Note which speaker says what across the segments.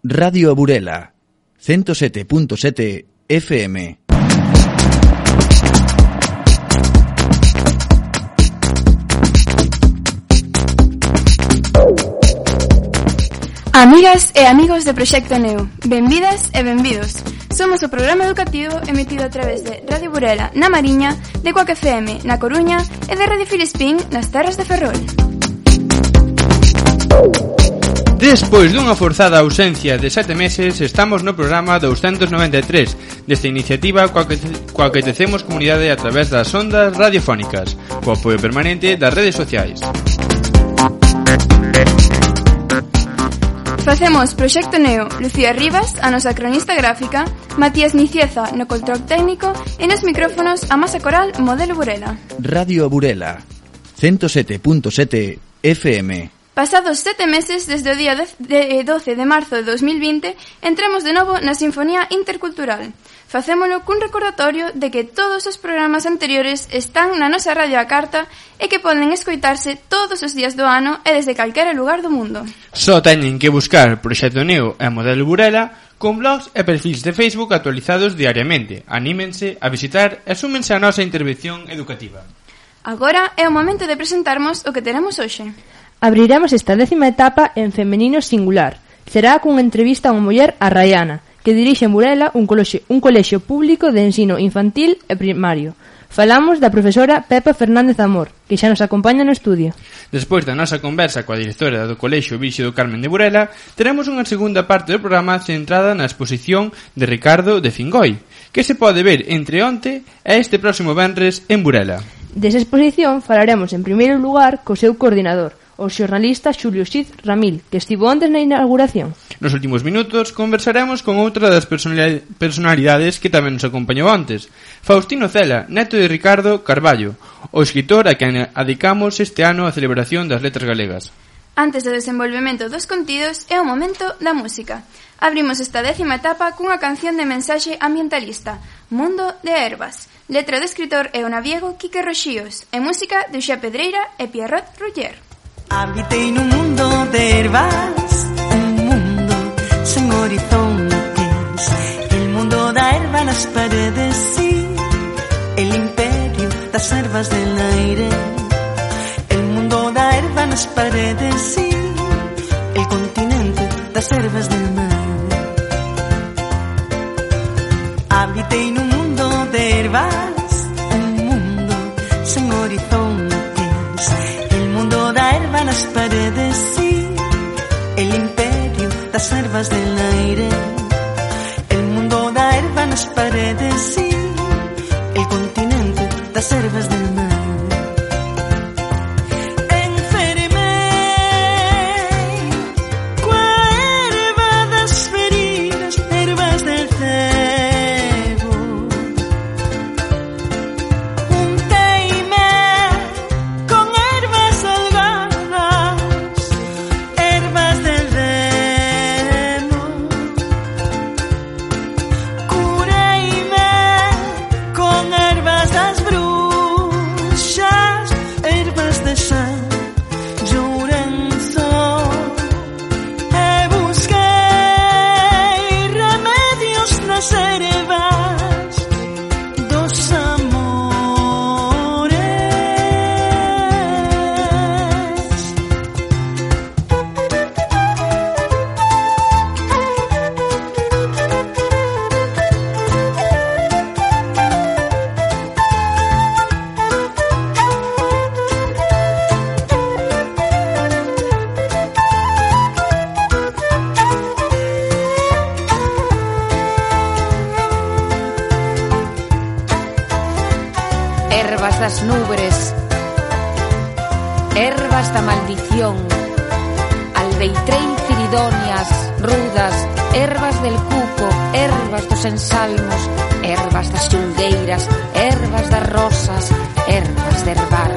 Speaker 1: Radio Burela, 107.7 FM.
Speaker 2: Amigas e amigos de Proxecto Neo, benvidas e benvidos. Somos o programa educativo emitido a través de Radio Burela na Mariña, de Coac FM na Coruña e de Radio Filispín nas terras de Ferrol.
Speaker 3: Despois dunha forzada ausencia de 7 meses, estamos no programa 293 desta iniciativa coa que tecemos comunidade a través das ondas radiofónicas, co apoio permanente das redes sociais.
Speaker 2: Facemos Proxecto Neo, Lucía Rivas, a nosa cronista gráfica, Matías Nicieza no control técnico e nos micrófonos a masa coral Modelo Burela.
Speaker 1: Radio Burela, 107.7 FM.
Speaker 2: Pasados 7 meses desde o día 12 de marzo de 2020, entramos de novo na Sinfonía Intercultural. Facémolo cun recordatorio de que todos os programas anteriores están na nosa radio á carta e que poden escoitarse todos os días do ano e desde calquera lugar do mundo.
Speaker 3: Só teñen que buscar Proxecto Neo e Modelo Burela con blogs e perfis de Facebook actualizados diariamente. Anímense a visitar e súmense a nosa intervención educativa.
Speaker 2: Agora é o momento de presentarmos o que teremos hoxe.
Speaker 4: Abriremos esta 10ª etapa en femenino singular. Será cunha entrevista a unha muller, a Rayana, que dirixe en Burela un colexio público de ensino infantil e primario. Falamos da profesora Pepa Fernández Amor, que xa nos acompaña no estudio.
Speaker 3: Despois da nosa conversa coa directora do Colexio Virxe do Carmen de Burela, teremos unha segunda parte do programa centrada na exposición de Ricardo de Fingoi, que se pode ver entre onte e este próximo venres en Burela.
Speaker 4: Desa exposición falaremos en primeiro lugar co seu coordinador, o xornalista Xulio Cid Ramil, que estivo antes na inauguración.
Speaker 3: Nos últimos minutos conversaremos con outra das personalidades que tamén nos acompañou antes, Faustino Cela, neto de Ricardo Carballo, o escritor a quen adicamos este ano a celebración das letras galegas.
Speaker 2: Antes do desenvolvemento dos contidos é o momento da música. Abrimos esta 10ª etapa cunha canción de mensaxe ambientalista, Mundo de Herbas, letra do escritor e o naviego Quique Roxíos, e música de Uxía Pedreira e Pierrot Ruller.
Speaker 5: Habitei nun mundo de herbas, un mundo sen horizontes, el mundo da herba nas paredes, sí, el imperio das herbas del aire, el mundo da herba nas paredes, sí, el continente das herbas del mar. Habitei nun mundo de herbas, un mundo sen horizontes, nas paredes, sí, el imperio das herbas del aire, el mundo da herba nas paredes, sí, el continente das herbas del mar.
Speaker 6: Herbas das nubres, herbas da maldición, aldeitrein ciridonias, rudas, herbas del cuco, herbas dos ensalmos, herbas das xulgueiras, herbas das rosas, herbas de herbar.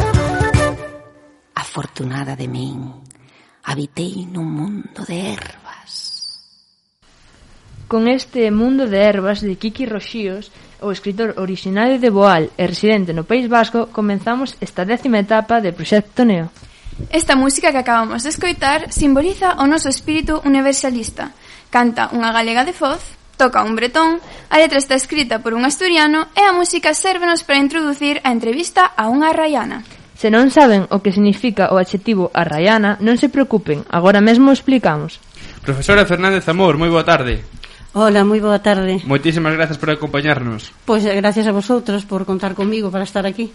Speaker 6: Afortunada de min, habitei nun mundo de herbas.
Speaker 4: Con este mundo de herbas de Quique Roxíos, o escritor originario de Boal e residente no País Vasco, comenzamos esta 10ª etapa de Proxecto Neo.
Speaker 2: Esta música que acabamos de escoitar simboliza o noso espírito universalista. Canta unha galega de Foz, toca un bretón, a letra está escrita por un asturiano e a música sérvenos para introducir a entrevista a unha arraiana.
Speaker 4: Se non saben o que significa o adxetivo arraiana, non se preocupen, agora mesmo o explicamos.
Speaker 3: Profesora Fernández Amor, moi boa tarde.
Speaker 7: Hola, moi boa tarde.
Speaker 3: Moitísimas grazas por acompañarnos.
Speaker 7: Pois gracias a vosotros por contar comigo para estar aquí.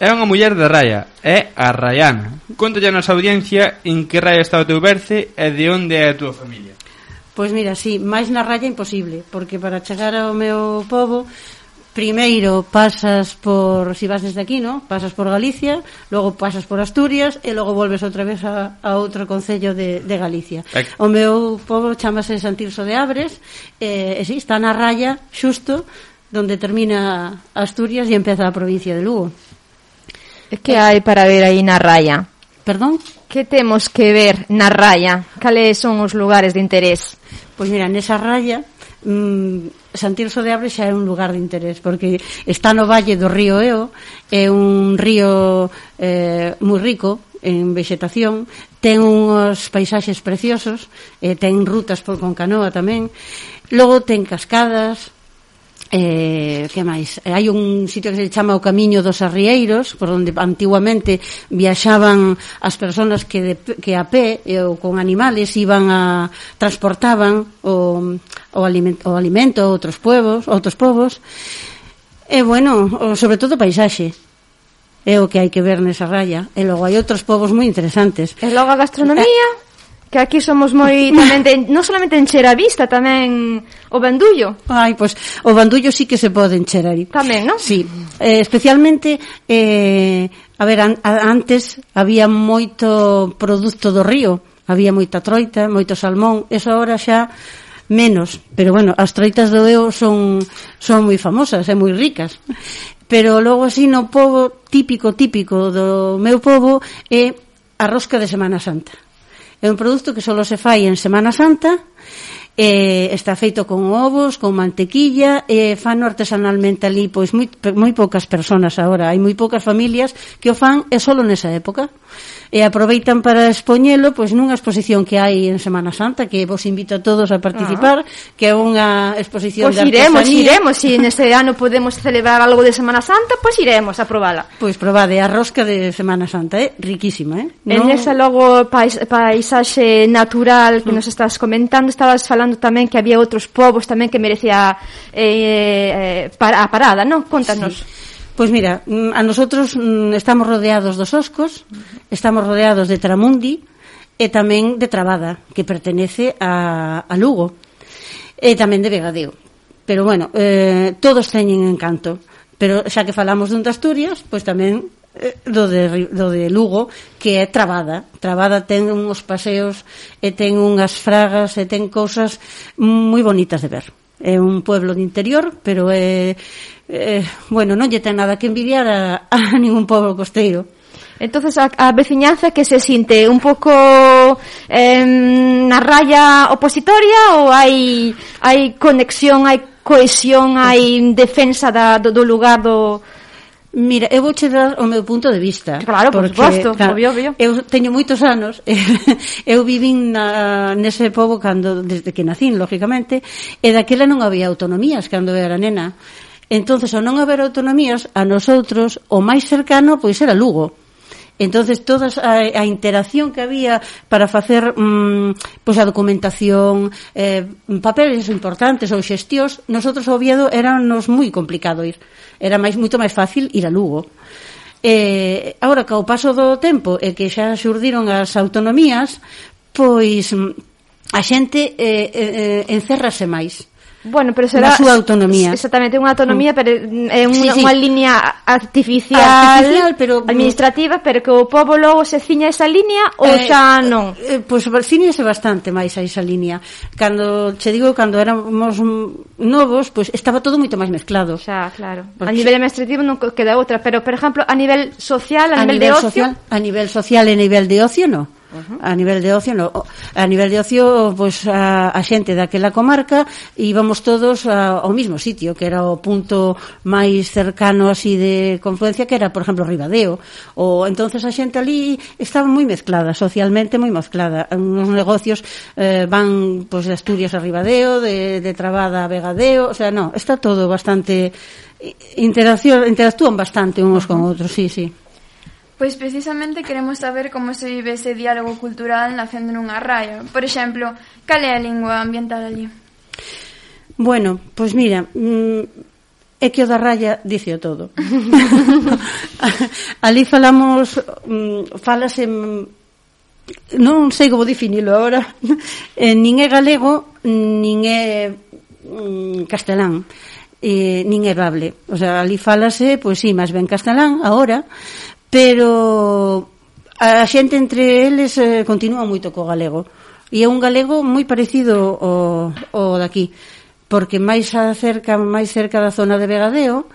Speaker 3: É unha muller de raia, é a raiana. Contalle a nosa audiencia en que raia está o teu berce e de onde é a túa familia.
Speaker 7: Pois mira, sí, máis na raya imposible, porque para chegar ao meu pobo, primeiro pasas por, si vas desde aquí, ¿no? Pasas por Galicia, logo pasas por Asturias e logo volves outra vez a outro concello de Galicia. O meu pobo chamase Santirso de Abres, e sí, está na raya xusto donde termina Asturias e empeza a provincia de Lugo.
Speaker 4: Que hai para ver aí na raya?
Speaker 7: Perdón?
Speaker 4: Que temos que ver na raya? Cales son os lugares de interés?
Speaker 7: Pois mira, nesa raya Santirso de Abres xa é un lugar de interés porque está no valle do río Eo, é un río moi rico en vegetación, ten uns paisaxes preciosos, ten rutas con canoa tamén, logo ten cascadas, que máis? Hai un sitio que se chama o Camiño dos Arrieiros, por onde antiguamente viaxaban as persoas que a pé ou con animales iban a transportaban o alimento a outros povos. E bueno, sobre todo o paisaxe é o que hai que ver nesa raya. E logo hai outros povos moi interesantes.
Speaker 4: E logo a gastronomía, que aquí somos moi tamén non solamente encher a vista, tamén o bandullo.
Speaker 7: Ai, pois o bandullo sí que se pode encher aí.
Speaker 4: Tamén, non?
Speaker 7: Sí, especialmente a ver, antes había moito produto do río, había moita troita, moito salmón, eso agora xa menos, pero bueno, as troitas do Eo son moi famosas e moi ricas. Pero logo así no pobo típico do meu pobo é a rosca de Semana Santa. É un produto que só se fai en Semana Santa, está feito con ovos, con mantequilla, fano artesanalmente ali, pois moi poucas persoas agora, hai moi poucas familias que o fan e só nesa época. E aproveitan para expoñelo pois nunha exposición que hai en Semana Santa, que vos invito a todos a participar, que é unha exposición de artesanía.
Speaker 4: Iremos, se neste ano podemos celebrar algo de Semana Santa, pois iremos a probala.
Speaker 7: Pois probade a rosca de Semana Santa, é riquísima,
Speaker 4: En esa logo paisaxe natural que nos estás comentando, estabas falando tamén que había outros povos tamén que merecía a parada, non? Contanos. Sí.
Speaker 7: Pois mira, a nosotros estamos rodeados dos Oscos, estamos rodeados de Tramundi e tamén de Trabada, que pertenece a Lugo, e tamén de Vegadeo. Pero bueno, todos teñen encanto. Pero xa que falamos dun de Asturias, pois tamén do de Lugo, que é Trabada. Trabada ten uns paseos e ten unhas fragas e ten cousas moi bonitas de ver. É un pueblo de interior, pero bueno, non lle ten nada que envidiar a ningún pueblo costeiro.
Speaker 4: Entonces a veciñanza que se sinte un pouco na raya opositoria ou hai conexión, hai cohesión, hai defensa do lugar do...
Speaker 7: Mira, eu vouche dar o meu punto de vista.
Speaker 4: Claro, por suposto, obvio.
Speaker 7: Eu teño moitos anos, eu vivín nese pobo desde que nacín, lógicamente, e daquela non había autonomías cando era nena. Entonces, ao non haber autonomías, a nosotros o máis cercano pois era Lugo. Entonces toda a interacción que había para facer pois a documentación, papeles importantes ou xestións, nosotros ao Oviedo éranos moi complicado ir. Era moito máis fácil ir a Lugo. Agora que ao paso do tempo e que xa xurdiron as autonomías, pois a xente encérrase máis.
Speaker 4: Bueno, pero será
Speaker 7: na súa autonomía.
Speaker 4: Exactamente, unha autonomía, pero é unha línea artificial, pero administrativa, pero que o pobo logo se ciña esa línea ou xa non?
Speaker 7: Pois ciñase bastante máis a esa línea. Cando éramos novos, pois estaba todo moito máis mezclado.
Speaker 4: Xa, claro. A nivel administrativo non queda outra, pero por exemplo, a nivel social, a nivel de ocio?
Speaker 7: A nivel social e a nivel de ocio, non. A nivel de ocio, no. A nivel de ocio, pois a xente daquela comarca íbamos todos ao mismo sitio, que era o punto máis cercano así de confluencia, que era, por exemplo, Ribadeo. Ou entonces a xente ali estaba moi mezclada, socialmente moi mezclada. Os negocios van pois de Asturias a Ribadeo, de Trabada a Vegadeo, o sea, no, está todo bastante interactúan bastante uns con outros, sí.
Speaker 2: Pois precisamente queremos saber como se vive ese diálogo cultural nacendo nunha raia. Por exemplo, cal é a lingua ambiental ali?
Speaker 7: Bueno, pois mira, é que o da raya dice o todo. Ali falase, non sei como definilo agora, nin é galego, nin é castelán, nin é bable. O sea, ali falase, pois sí, máis ben castelán agora, pero a xente entre eles continúa moito co galego, e é un galego moi parecido ao daqui, porque máis cerca da zona de Vegadeo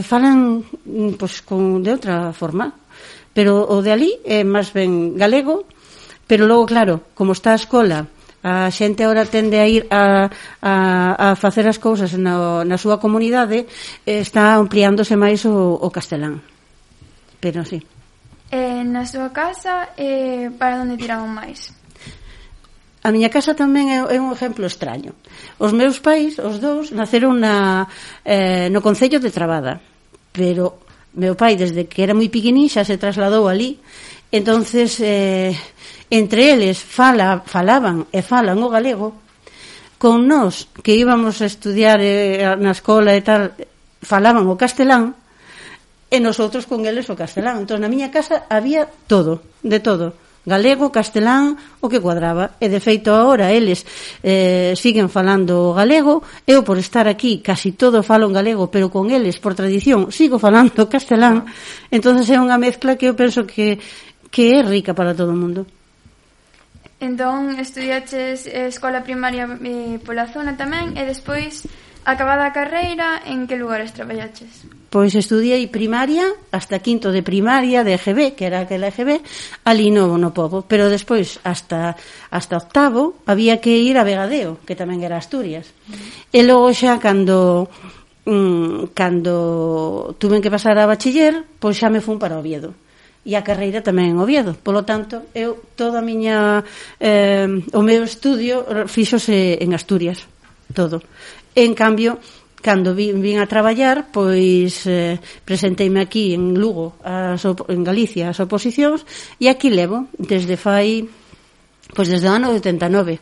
Speaker 7: falan pois de outra forma, pero o de ali é máis ben galego. Pero logo, claro, como está a escola, a xente agora tende a ir a facer as cousas na súa comunidade, está ampliándose máis o castelán. Pero sí.
Speaker 2: Na súa casa, para onde tiraban máis?
Speaker 7: A miña casa tamén é un exemplo extraño. Os meus pais, os dous, naceron no concello de Trabada, pero meu pai, desde que era moi pequenín, xa se trasladou ali. Entonces, entre eles falaban e falan o galego. Con nós, que íbamos a estudiar na escola e tal, falaban o castelán, e nosotros con eles o castelán. Entón, na miña casa había todo, de todo, galego, castelán, o que cuadraba. E de feito agora eles siguen falando galego. Eu, por estar aquí, casi todo falo en galego, pero con eles, por tradición, sigo falando castelán. Entón é unha mezcla que eu penso que é rica para todo o mundo.
Speaker 2: Entón, estudiaches escola primaria pola zona tamén, e despois, acabada a carreira, en que lugares traballaches?
Speaker 7: Pois estudiei primaria, hasta quinto de primaria de EGB, que era aquela EGB, ali no pobo, pero despois hasta octavo había que ir a Vegadeo, que tamén era Asturias. E logo xa cando tuven que pasar a bachiller, pois xa me fun para Oviedo. E a carreira tamén en Oviedo. Polo tanto, eu toda a miña o meu estudio fíxose en Asturias, todo. En cambio, cando vin a traballar, pois presenteime aquí en Lugo, en Galicia, as oposicións, e aquí levo desde o ano 89.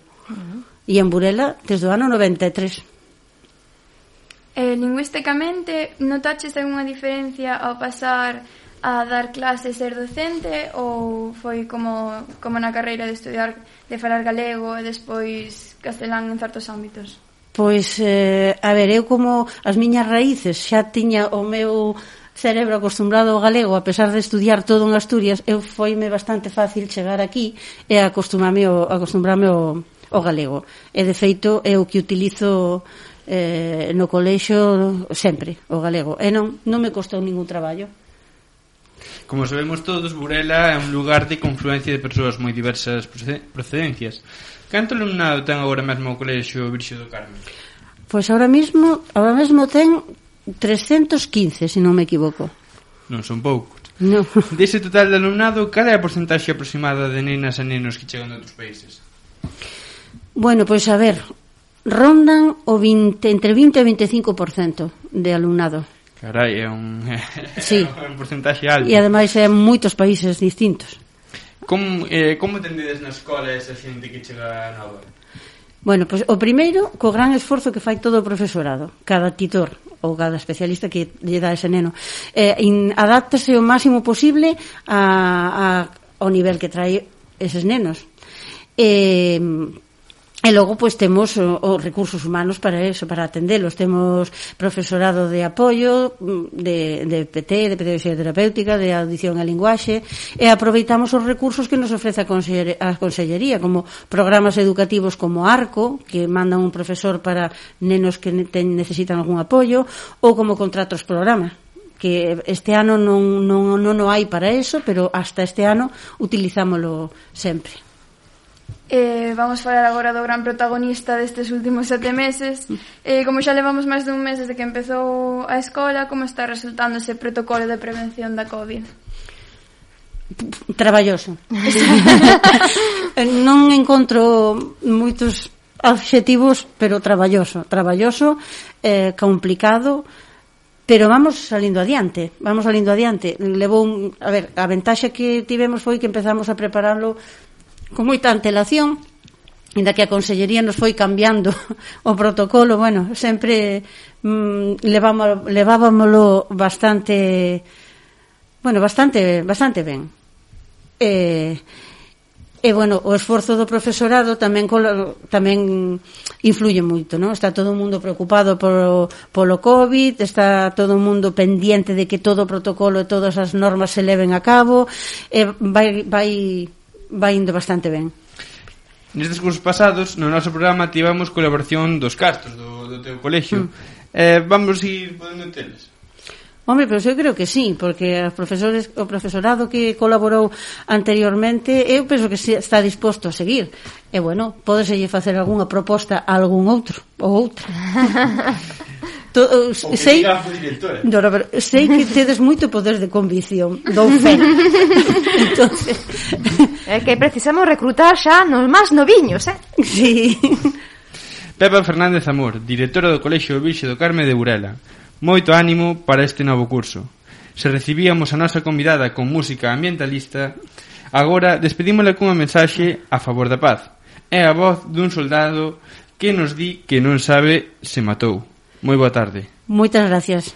Speaker 7: E en Burela desde o ano 93.
Speaker 2: Lingüísticamente, notaches algunha diferencia ao pasar a dar clases, ser docente, ou foi como na carreira de estudiar, de falar galego e despois castelán en certos ámbitos?
Speaker 7: Pois, a ver, eu como as miñas raíces xa tiña o meu cerebro acostumbrado ao galego, a pesar de estudiar todo en Asturias, eu foime bastante fácil chegar aquí e acostumbrarme ao galego. E de feito é o que utilizo no colexio sempre, o galego. E non me costou ningún traballo.
Speaker 3: Como sabemos todos, Burela é un lugar de confluencia de persoas moi diversas procedencias. Canto alumnado ten agora mesmo o colexio Virxe do Carme?
Speaker 7: Pois ahora mesmo ten 315, se non me equivoco.
Speaker 3: Non son poucos.
Speaker 7: No.
Speaker 3: Dese total de alumnado, cal é a porcentaxe aproximada de nenas e nenos que chegan de outros países?
Speaker 7: Bueno, pois a ver, rondan entre 20 e 25% de alumnado.
Speaker 3: Carai, é un porcentaxe alto.
Speaker 7: E ademais é moitos países distintos.
Speaker 3: Como tendedes na escola esa xente que chega nova?
Speaker 7: Bueno, pois o primeiro, co gran esforzo que fai todo o profesorado, cada titor ou cada especialista que lle dá ese neno, adáptase o máximo posible ao nivel que trae eses nenos. E logo, pois, temos os recursos humanos para eso, para atendelos. Temos profesorado de apoio, de PT, de pedagogía terapéutica, de audición e linguaxe, e aproveitamos os recursos que nos ofrece a Consellería, como programas educativos como ARCO, que mandan un profesor para nenos que necesitan algún apoio, ou como contratos programa, que este ano non hai para eso, pero hasta este ano utilizámolo sempre.
Speaker 2: Vamos falar agora do gran protagonista destes últimos 7 meses. Como xa levamos máis dun mes desde que empezou a escola, como está resultando ese protocolo de prevención da COVID?
Speaker 7: Traballoso. Non encontro moitos adxetivos, pero traballoso, complicado, pero vamos salindo adiante. Levou a ventaxa que tivemos foi que empezamos a prepararlo con moita antelación, inda que a Consellería nos foi cambiando o protocolo, bueno, sempre levábamolo bastante ben. E bueno, o esforzo do profesorado tamén influye moito, non? Está todo o mundo preocupado polo COVID, está todo o mundo pendiente de que todo o protocolo e todas as normas se leven a cabo, e vai indo bastante ben.
Speaker 3: Nestes cursos pasados, no noso programa tivemos colaboración dos cartos do teu colexio. Vamos ir podendo teles?
Speaker 7: Hombre, pero eu creo que sí, porque o profesorado que colaborou anteriormente, eu penso que está disposto a seguir. E bueno, pódeselle facer algunha proposta a algún outro ou outra. Sei que tedes moito poder de convicción, dou fe. Entonces,
Speaker 4: é que precisamos recrutar xa nos máis noviños,
Speaker 7: Sí.
Speaker 3: Pepa Fernández Amor, directora do Colexio Virxe do Carme de Burela. Moito ánimo para este novo curso. Se recibíamos a nosa convidada con música ambientalista, agora despedímola cunha mensaxe a favor da paz. É a voz dun soldado que nos di que non sabe se matou. Moi boa tarde.
Speaker 7: Moitas gracias.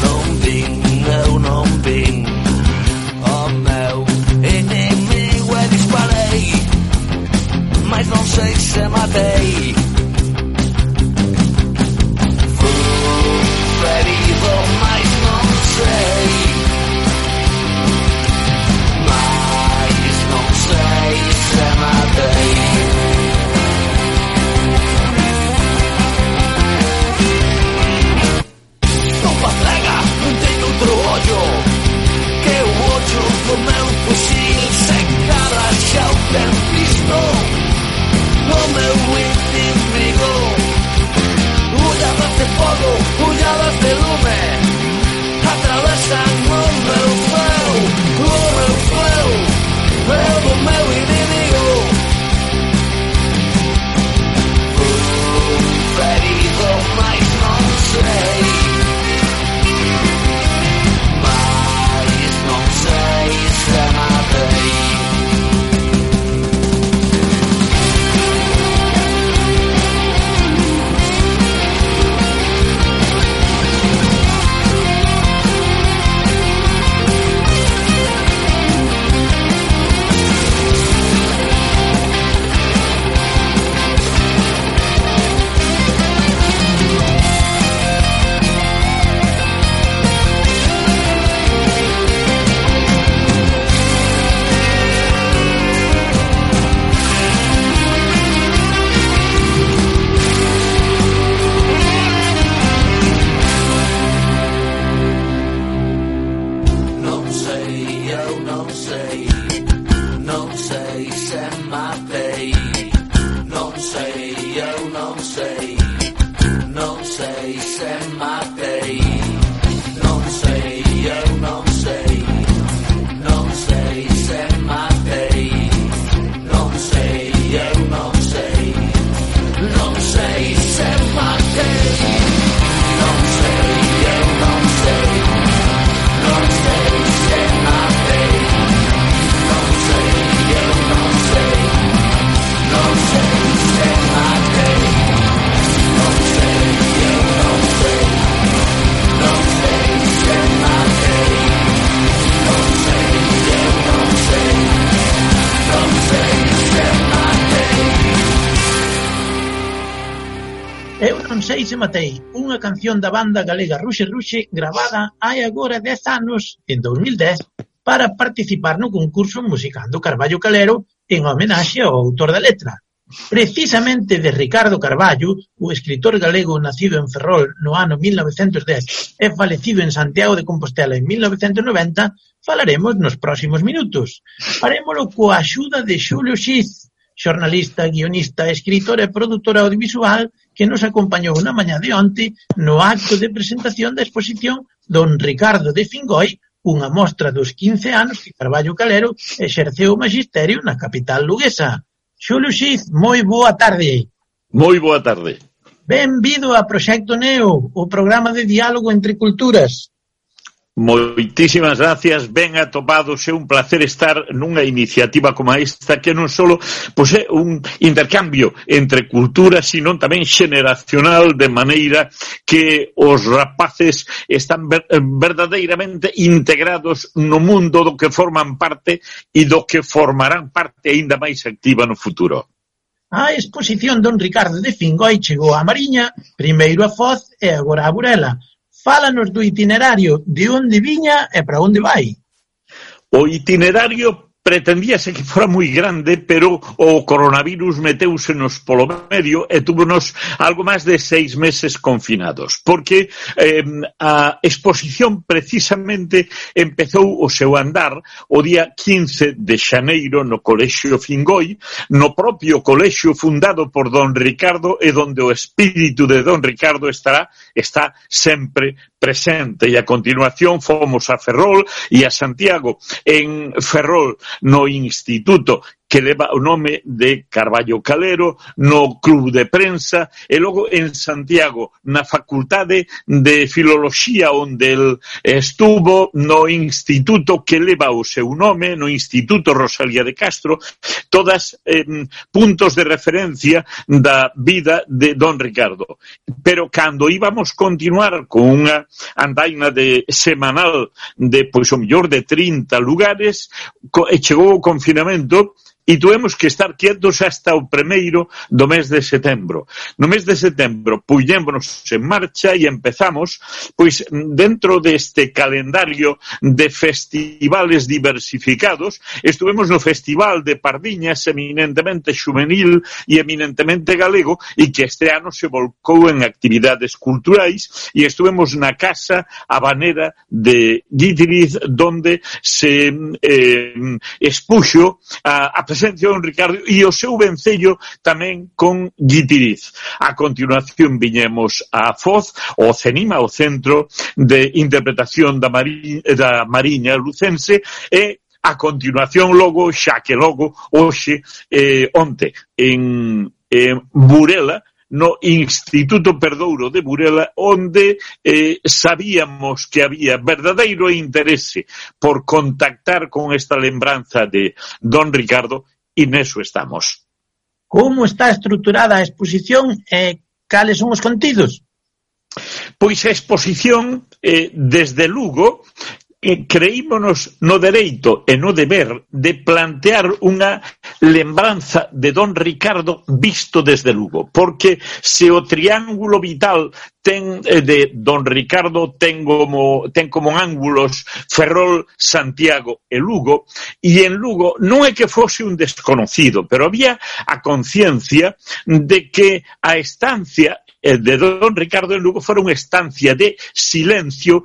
Speaker 8: No non sei se matei, unha canción da banda galega Ruxe Ruxe gravada hai agora 10 anos, en 2010, para participar no concurso Musicando Carballo Calero en homenaxe ao autor da letra. Precisamente de Ricardo Carballo, o escritor galego nacido en Ferrol no ano 1910 e falecido en Santiago de Compostela en 1990, falaremos nos próximos minutos. Farémolo coa axuda de Xulio Xiz, xornalista, guionista, escritor e produtor audiovisual que nos acompañou na mañá de onte no acto de presentación da exposición Don Ricardo de Fingoi, unha mostra dos 15 anos que Carballo Calero exerceu o magisterio na capital luguesa. Xulio Xiz, moi boa tarde.
Speaker 9: Moi boa tarde.
Speaker 8: Benvido a Proxecto Neo, o programa de diálogo entre culturas.
Speaker 9: Moitísimas gracias, ben atopados, é un placer estar nunha iniciativa como esta que non só é un intercambio entre culturas, sino tamén xeneracional, de maneira que os rapaces están verdadeiramente integrados no mundo do que forman parte e do que formarán parte aínda máis activa no futuro.
Speaker 8: A exposición Don Ricardo de Fingoi chegou a Mariña, primeiro a Foz e agora a Burela. Fálanos do itinerario, de onde viña e para onde vai.
Speaker 9: O itinerario pretendíase que fora moi grande, pero o coronavirus meteúsenos polo medio e túvonos algo máis de 6 meses confinados, porque a exposición precisamente empezou o seu andar o día 15 de xaneiro no Colexio Fingoi, no propio colexio fundado por Don Ricardo e donde o espírito de Don Ricardo está sempre presente. E a continuación fomos a Ferrol e a Santiago. En Ferrol, no instituto que leva o nome de Carballo Calero, no club de prensa, e logo en Santiago, na facultade de filoloxía onde el estuvo, no instituto que leva o seu nome, no Instituto Rosalía de Castro, todas puntos de referencia da vida de Don Ricardo. Pero cando íbamos continuar con unha andaina de semanal de, pois, o mellor de 30 lugares, chegou o confinamento e tuvemos que estar quietos hasta o primeiro do mes de setembro. No mes de setembro puñémonos en marcha e empezamos, pois, dentro deste calendario de festivales diversificados, estuvemos no Festival de Pardiñas, eminentemente xuvenil e eminentemente galego, e que este ano se volcou en actividades culturais, e estuvemos na Casa Habanera de Guitiriz, donde se expuxo a presencia de Don Ricardo e o seu vencello tamén con Guitiriz. A continuación viñemos a Foz, o CENIMA, o Centro de Interpretación da Mariña Lucense, e a continuación logo, xa que logo, hoxe, onte, en Burela, no Instituto Perdouro de Burela, onde sabíamos que había verdadeiro interese por contactar con esta lembranza de Don Ricardo, e neso estamos.
Speaker 8: Como está estruturada a exposición e cales son os contidos?
Speaker 9: Pois a exposición, desde Lugo, creímonos no dereito e no deber de plantear unha lembranza de Don Ricardo visto desde Lugo, porque se o triángulo vital de Don Ricardo ten como ángulos Ferrol, Santiago e Lugo, e en Lugo non é que fose un desconocido, pero había a conciencia de que a estancia de Don Ricardo en Lugo fora unha estancia de silencio,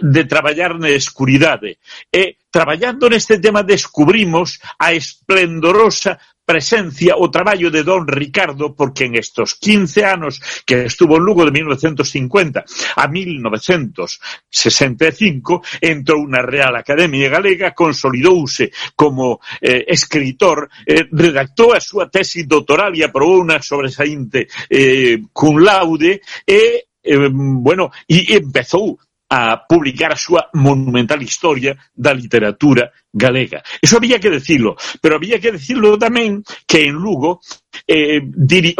Speaker 9: de traballar na escuridade. E traballando neste tema descubrimos a esplendorosa presencia, o traballo de Don Ricardo, porque en estos 15 anos que estuvo en Lugo de 1950 a 1965 entrou na Real Academia Galega, consolidouse como escritor, redactou a súa tesi doutoral e aprobou unha sobresaínte cum laude e empezou a publicar a súa monumental historia da literatura galega. Eso había que decirlo, pero había que decirlo tamén que en Lugo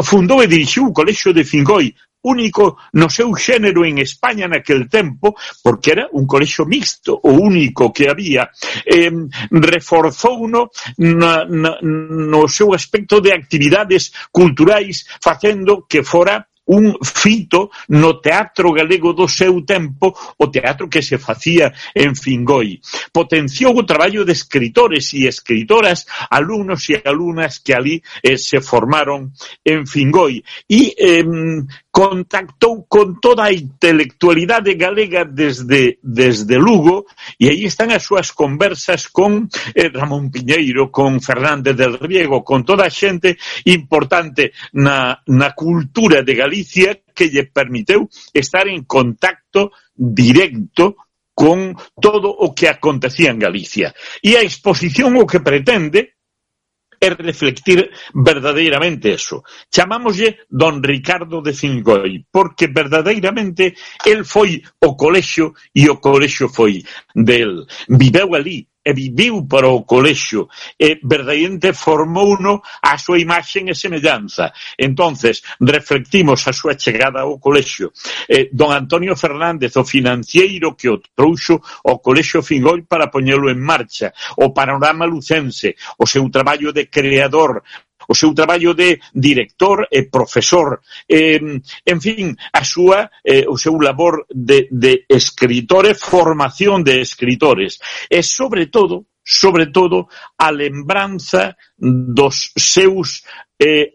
Speaker 9: fundou e dirixiu o Colexio de Fingoi, único no seu xénero en España naquel tempo, porque era un colexio mixto, o único que había. Reforzouno no seu aspecto de actividades culturais, facendo que fora un fito no teatro galego do seu tempo, o teatro que se facía en Fingoi. Potenciou o traballo de escritores e escritoras, alumnos e alumnas que ali se formaron en Fingoi, e contactou con toda a intelectualidade galega desde Lugo, e aí están as súas conversas con Ramón Piñeiro, con Fernández del Riego, con toda a xente importante na cultura de Galicia, que lle permiteu estar en contacto directo con todo o que acontecía en Galicia. E a exposición o que pretende é reflectir verdadeiramente eso. Chamámoslle Don Ricardo de Fingoi, porque verdadeiramente el foi o colexio e o colexio foi del. Viveu ali e viviu para o colexio e verdadeiramente formouno a súa imaxen e semellanza. Entonces, reflectimos a súa chegada ao colexio. Don Antonio Fernández, o financiero que o trouxo ao colexio Fingoi para poñelo en marcha, o panorama lucense, o seu traballo de creador, o seu traballo de director e profesor, en fin, o seu labor de escritor e formación de escritores, e sobre todo, a lembranza dos seus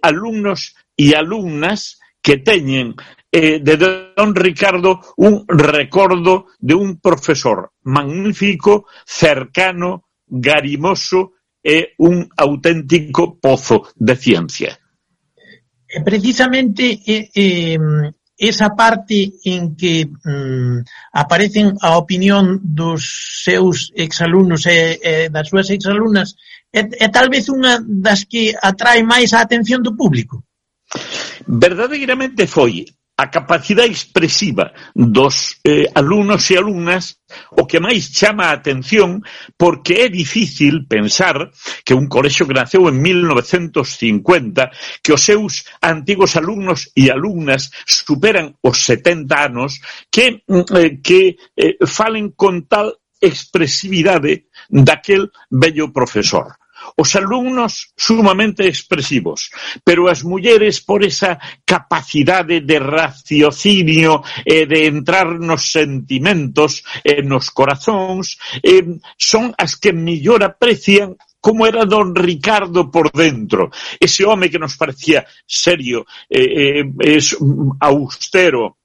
Speaker 9: alumnos e alumnas que teñen de Don Ricardo un recordo de un profesor magnífico, cercano, garimoso, é un auténtico pozo de ciencia.
Speaker 8: Precisamente esa parte en que aparecen a opinión dos seus exalumnos e das súas exalumnas é tal vez unha das que atrae máis a atención do público.
Speaker 9: Verdadeiramente foi a capacidade expresiva dos alumnos e alumnas o que máis chama a atención, porque é difícil pensar que un colexio que naceu en 1950, que os seus antigos alumnos e alumnas superan os 70 anos, que falen con tal expresividade daquel bello profesor. Os alumnos sumamente expresivos, pero as mulleres por esa capacidade de raciocinio e de entrar nos sentimentos e nos corazóns, son as que mellor aprecian como era Don Ricardo por dentro. Ese home que nos parecía serio, austero,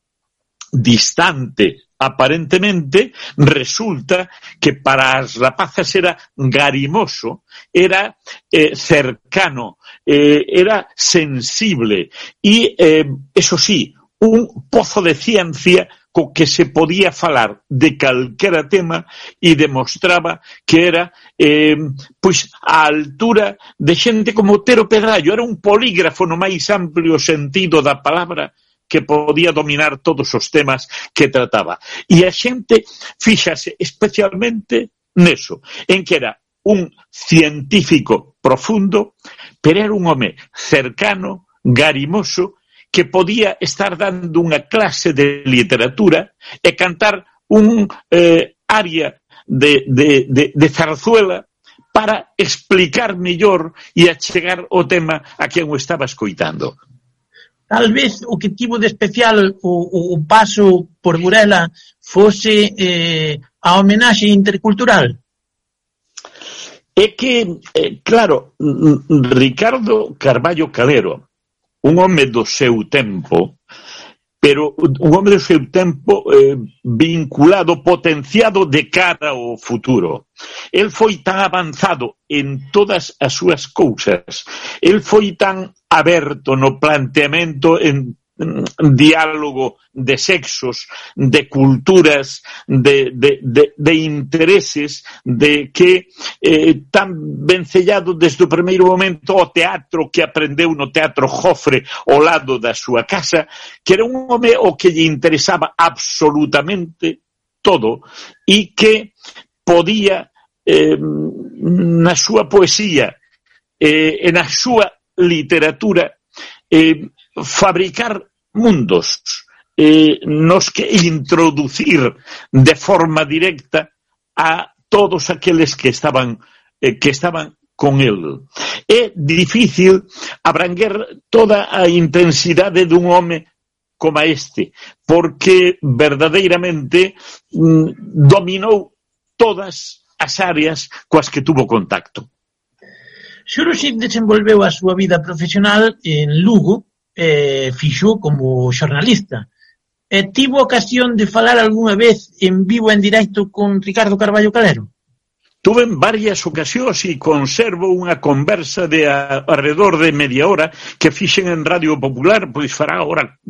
Speaker 9: distante, aparentemente, resulta que para as rapazas era garimoso, era cercano, era sensible e, eso sí, un pozo de ciencia co que se podía falar de calquera tema e demostraba que era pois a altura de xente como Otero Pedrallo, era un polígrafo no máis amplio sentido da palabra, que podía dominar todos os temas que trataba. E a xente fíxase especialmente neso, en que era un científico profundo, pero era un home cercano, garimoso, que podía estar dando unha clase de literatura e cantar un aria de zarzuela para explicar mellor e achegar o tema a quen o estaba escoitando.
Speaker 8: Tal vez o que tivo de especial o paso por Burela fose a homenaxe intercultural.
Speaker 9: É que, claro, Ricardo Carballo Calero, un home do seu tempo, pero un home do seu tempo vinculado, potenciado de cara ao futuro. El foi tan avanzado en todas as súas cousas, el foi tan aberto no planteamento en diálogo de sexos, de culturas, de intereses, de que tan vencellado desde o primeiro momento ao teatro que aprendeu no Teatro Jofre ao lado da súa casa, que era un home o que lle interesaba absolutamente todo e que podía na súa poesía e na súa literatura fabricar mundos nos que introducir de forma directa a todos aqueles que estaban con él. É difícil abranguer toda a intensidade dun home como este, porque verdadeiramente dominou todas as áreas coas que tuvo contacto.
Speaker 8: Xuruxi desenvolveu a súa vida profesional en Lugo, fixo como xornalista. Tivo ocasión de falar algunha vez en vivo en directo con Ricardo Carballo Calero?
Speaker 9: Tuve en varias ocasións e conservo unha conversa de alrededor de media hora que fixen en Radio Popular, pois fará agora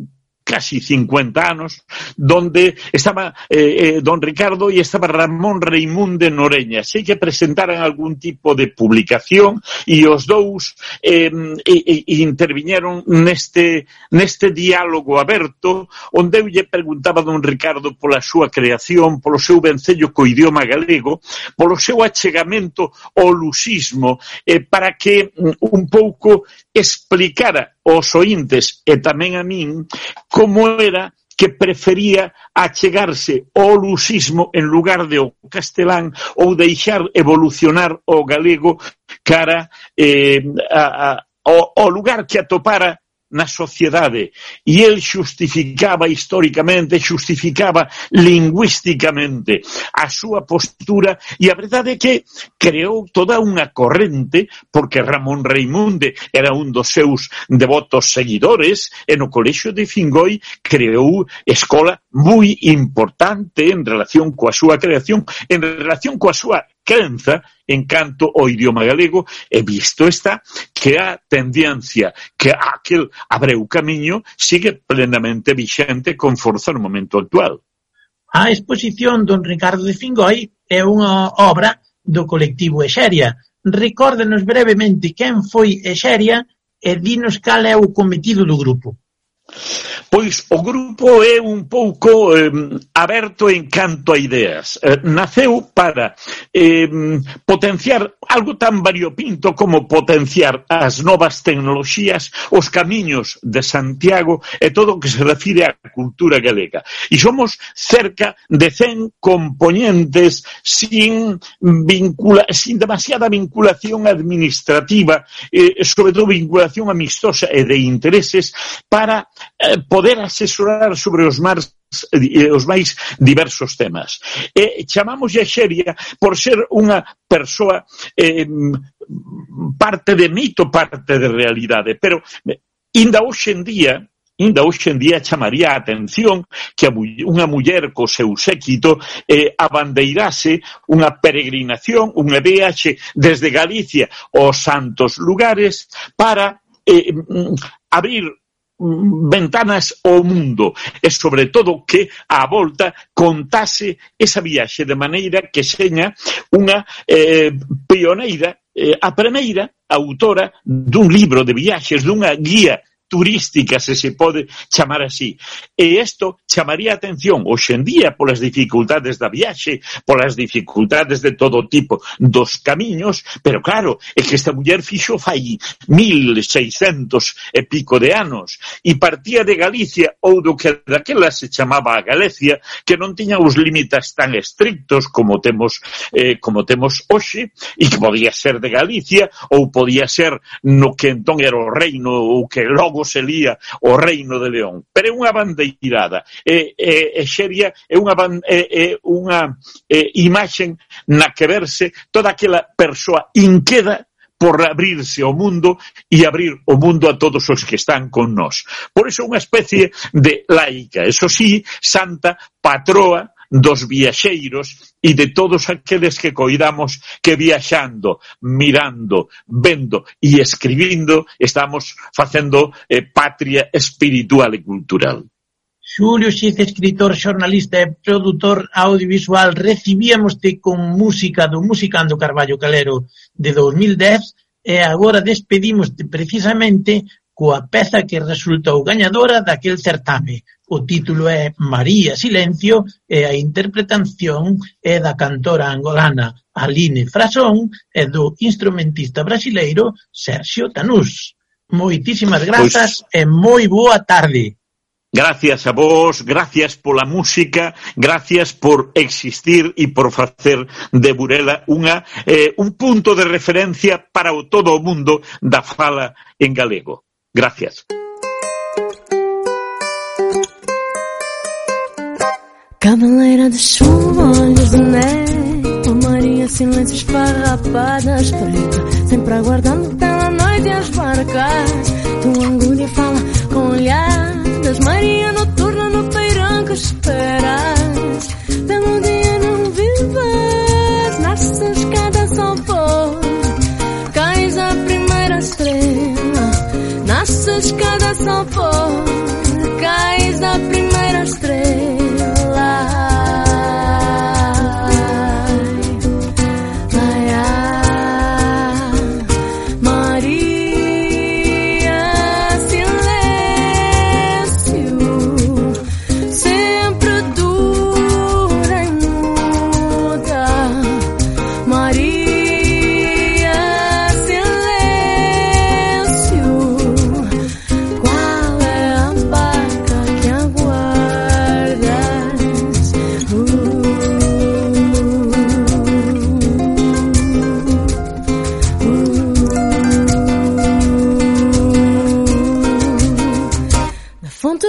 Speaker 9: casi 50 anos, donde estaba don Ricardo e estaba Ramón Reimunde Noreña. Sei que presentaran algún tipo de publicación e os dous interviñeron neste diálogo aberto, onde eu lle preguntaba a don Ricardo pola súa creación, polo seu vencello co idioma galego, polo seu achegamento ao luxismo, para que un pouco explicara aos ointes e tamén a min como era que prefería achegarse ao luxismo en lugar de ao castelán ou deixar evolucionar o galego cara ao lugar que atopara na sociedade. E el xustificaba históricamente, xustificaba lingüísticamente a súa postura, e a verdade é que creou toda unha corrente, porque Ramón Reimunde era un dos seus devotos seguidores, e no Colexio de Fingoi creou escola moi importante en relación coa súa creación, en relación coa súa crenza en canto ao idioma galego, e visto está que a tendencia que aquel abreu camiño sigue plenamente vixente con forza no momento actual.
Speaker 8: A exposición don Ricardo de Fingoi é unha obra do colectivo Exeria. Recórdenos brevemente quen foi Exeria e dinos cal é o cometido do grupo.
Speaker 9: Pois o grupo é un pouco aberto en canto a ideas. Naceu para potenciar algo tan variopinto como potenciar as novas tecnoloxías, os camiños de Santiago e todo o que se refire á cultura galega. E somos cerca de 100 componentes sin demasiada vinculación administrativa, sobre todo vinculación amistosa e de intereses, para poder asesorar sobre os máis diversos temas. Chamamos a Xeria por ser unha persoa parte de mito, parte de realidade, pero ainda hoxe en día chamaría a atención que unha muller co seu séquito abandeirase unha peregrinación, unha viaxe desde Galicia aos santos lugares para abrir ventanas ao mundo e sobre todo que á volta contase esa viaxe de maneira que seña unha pioneira, a primeira autora dun libro de viaxes, dunha guía turística, se pode chamar así. E isto chamaría a atención hoxe en día polas dificultades da viaxe, polas dificultades de todo tipo dos camiños, pero claro, é que esta muller fixo fai 1600 e pico de anos e partía de Galicia ou do que daquela se chamaba a Galicia, que non tiña os límites tan estrictos como temos hoxe, e que podía ser de Galicia ou podía ser no que entón era o reino ou que logo se lía o Reino de León, pero é unha bandeirada. Xeria é unha imaxen na que verse toda aquela persoa inqueda por abrirse ao mundo e abrir o mundo a todos os que están con nós. Por iso unha especie de laica, eso sí, santa patroa dos viaxeiros e de todos aqueles que coidamos que viaxando, mirando, vendo e escribindo estamos facendo patria espiritual e cultural.
Speaker 8: Xulio Xiz, escritor, xornalista e produtor audiovisual, recibíamoste con música do Musicando Carballo Calero de 2010 e agora despedímoste precisamente coa peza que resultou gañadora daquel certame. O título é María Silencio e a interpretación é da cantora angolana Aline Frasón e do instrumentista brasileiro Sergio Tanús. Moitísimas grazas e moi boa tarde.
Speaker 9: Gracias a vos, gracias pola música, gracias por existir e por facer de Burela un punto de referencia para todo o mundo da fala en galego. Gracias.
Speaker 10: Cabeleira de chuva, olhos de neve, Maria, silêncio esfarrapadas, preta, sempre aguardando pela noite as barcas. Tua angústia fala com olhadas, Maria noturna no peirão que esperas. Pelo dia não vives, nasces cada sol pôr, cais a primeira estrela, nasces cada sol pôr, cais a primeira estrela.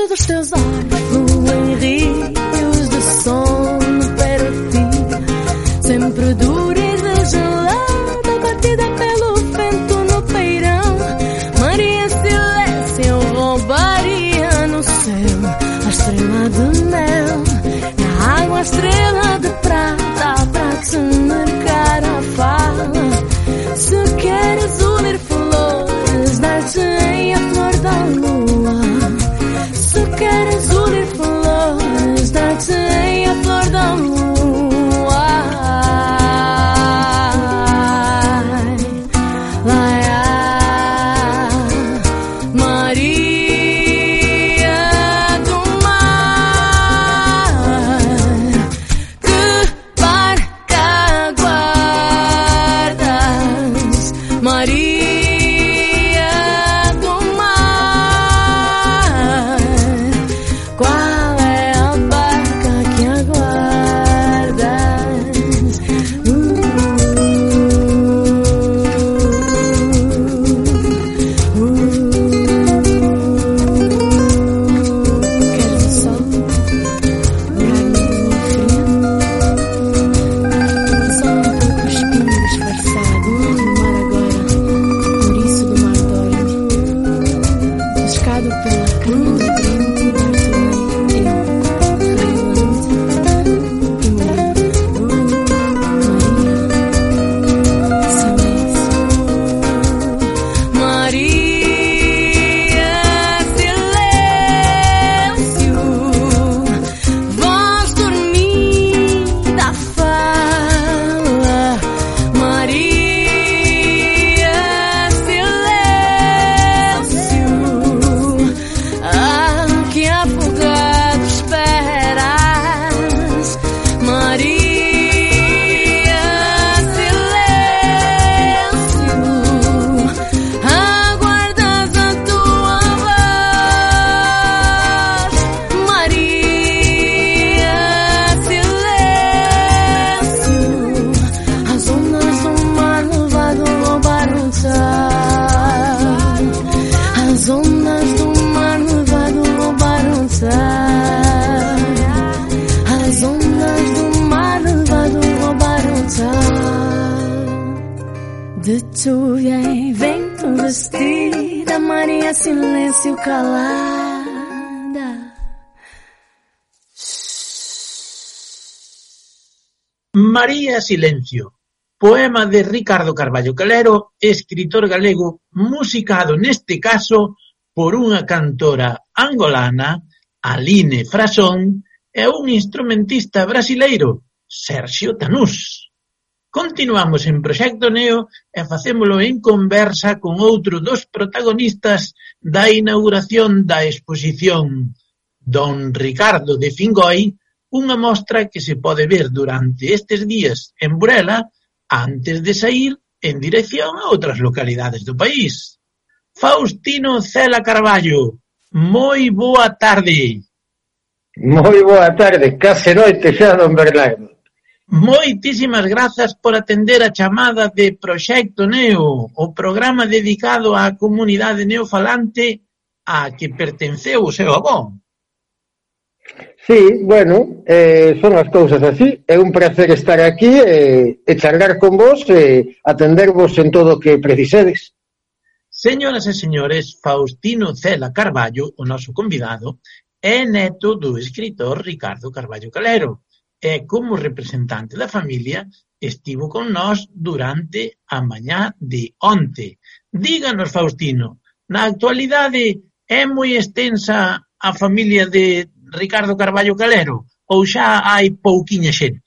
Speaker 10: Dos teus olhos fluem rios de sono para ti, sempre dura e regelada, batida pelo vento no peirão. Maria, silêncio, eu roubaria no céu a estrela de mel, na água a estrela de prata, para te marcar a fala. Se queres unir flores, dar-te a flor da lua. Se queres unir flores, dar-te a flor da lua. Maria do mar, que barca guardas, Maria. De lluvia e vento vestida, Maria, silêncio calada.
Speaker 8: María Silencio, poema de Ricardo Carballo Calero, escritor galego, musicado neste caso por unha cantora angolana, Aline Frasón, e un instrumentista brasileiro, Sergio Tanús. Continuamos en Proxecto Neo e facémolo en conversa con outro dos protagonistas da inauguración da exposición Don Ricardo de Fingoi, unha mostra que se pode ver durante estes días en Burela antes de sair en dirección a outras localidades do país. Faustino Cela Carballo, moi boa tarde.
Speaker 11: Moi boa tarde, case noite xa, don Bernardo.
Speaker 8: Moitísimas grazas por atender a chamada de Proxecto Neo, o programa dedicado á comunidade neofalante a que pertenceu o seu avó.
Speaker 11: Sí, bueno, son as cousas así. É un placer estar aquí e charlar con vos e atendervos en todo o que precisedes.
Speaker 8: Señoras e señores, Faustino Cela Carballo, o noso convidado, é neto do escritor Ricardo Carballo Calero e, como representante da familia, estivo con nós durante a mañá de onte. Díganos, Faustino, na actualidade é moi extensa a familia de Ricardo Carballo Calero ou xa hai pouquiña xente?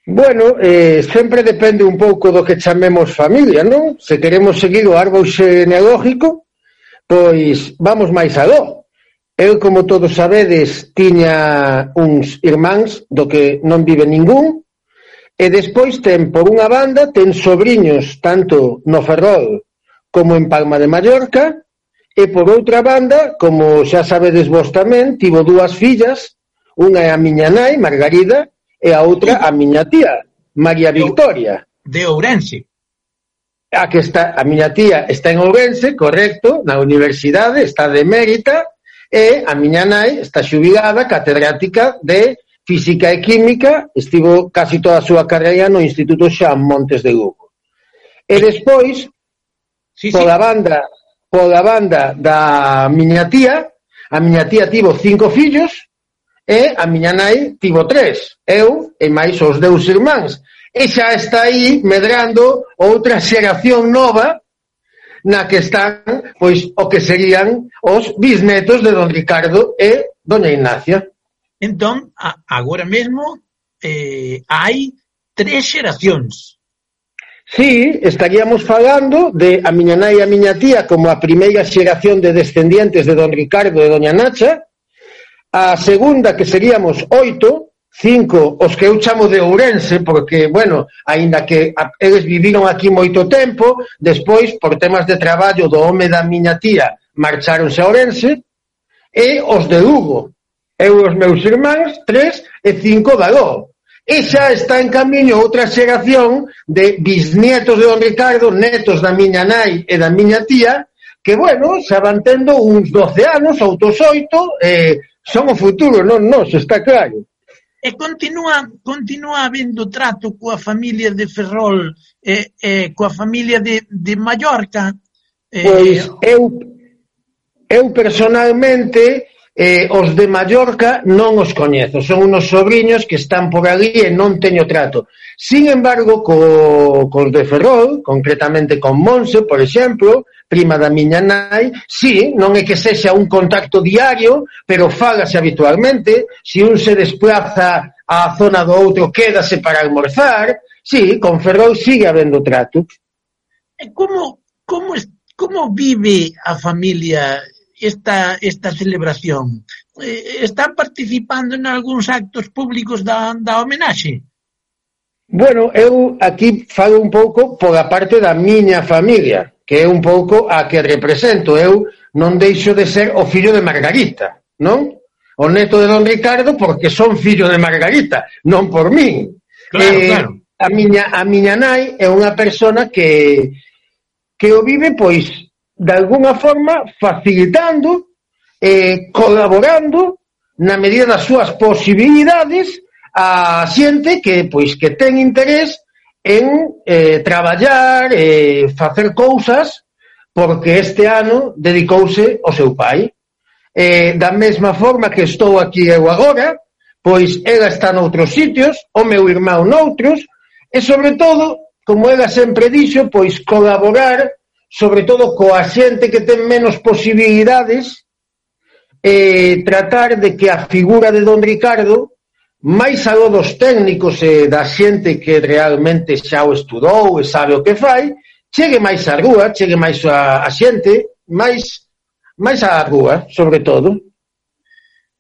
Speaker 11: Bueno, sempre depende un pouco do que chamemos familia, non? Se queremos seguir o árbol xenealógico, pois vamos máis aló. Eu, como todos sabedes, tiña uns irmáns do que non vive ningún, e despois por unha banda, ten sobriños tanto no Ferrol como en Palma de Mallorca, e por outra banda, como xa sabedes vos tamén, tivo dúas fillas, unha é a miña nai, Margarida, e a outra a miña tía, María Victoria.
Speaker 8: De Ourense.
Speaker 11: A miña tía está en Ourense, correcto, na universidade, está de emérita, e a miña nai está xubilada, catedrática de Física e Química, estivo casi toda a súa carreira no Instituto Xan Montes de Lugo. E despois, pola banda da miña tía, a miña tía tivo 5 fillos e a miña nai tivo 3, eu e máis os 2 irmáns. E xa está aí medrando outra xeración nova na que están, pois, o que serían os bisnetos de don Ricardo e doña Ignacia.
Speaker 8: Entón, agora mesmo hai 3 xeracións.
Speaker 11: Sí, estaríamos falando de a miña nai e a miña tía como a primeira xeración de descendientes de don Ricardo e doña Nacha, a segunda que seríamos 8, 5 os que eu chamo de Ourense, porque, bueno, aínda que eles viviron aquí moito tempo, despois, por temas de traballo do home da miña tía, marcharonse a Ourense, e os de Lugo, eu os meus irmáns, 3 e 5 de Aló. E xa está en camiño outra xeración de bisnietos de don Ricardo, netos da miña nai e da miña tía, que, bueno, xa van tendo uns 12 anos, outros 8, son o futuro, non nos, está claro.
Speaker 8: E continúa habendo trato coa familia de Ferrol e coa familia de Mallorca?
Speaker 11: Pois eu personalmente os de Mallorca non os coñezo, son unos sobriños que están por ali e non teño trato. Sin embargo, cos de Ferrol, concretamente con Monse, por exemplo, prima da miña nai, sí, non é que sexa un contacto diario, pero fálase habitualmente, se un se desplaza á zona do outro, quédase para almorzar, sí, con Ferrol sigue habendo trato.
Speaker 8: E como vive a familia esta celebración? Están participando en algúns actos públicos da homenaxe?
Speaker 11: Bueno, eu aquí falo un pouco pola parte da miña familia, que é un pouco a que represento. Eu non deixo de ser o fillo de Margarita, non? O neto de don Ricardo, porque son fillo de Margarita, non por min.
Speaker 8: Claro.
Speaker 11: A miña nai é unha persona que o vive, pois, de alguna forma, facilitando, colaborando, na medida das súas posibilidades, a xente que ten interés en traballar, facer cousas, porque este ano dedicouse ao seu pai. Da mesma forma que estou aquí eu agora, pois ela está noutros sitios, o meu irmão noutros, e sobre todo, como ela sempre dixo, pois colaborar, sobre todo coa xente que ten menos posibilidades, tratar de que a figura de don Ricardo, máis aló dos técnicos e da xente que realmente xa o estudou e sabe o que fai, chegue máis á rúa, chegue máis a xente, máis á rúa, sobre todo.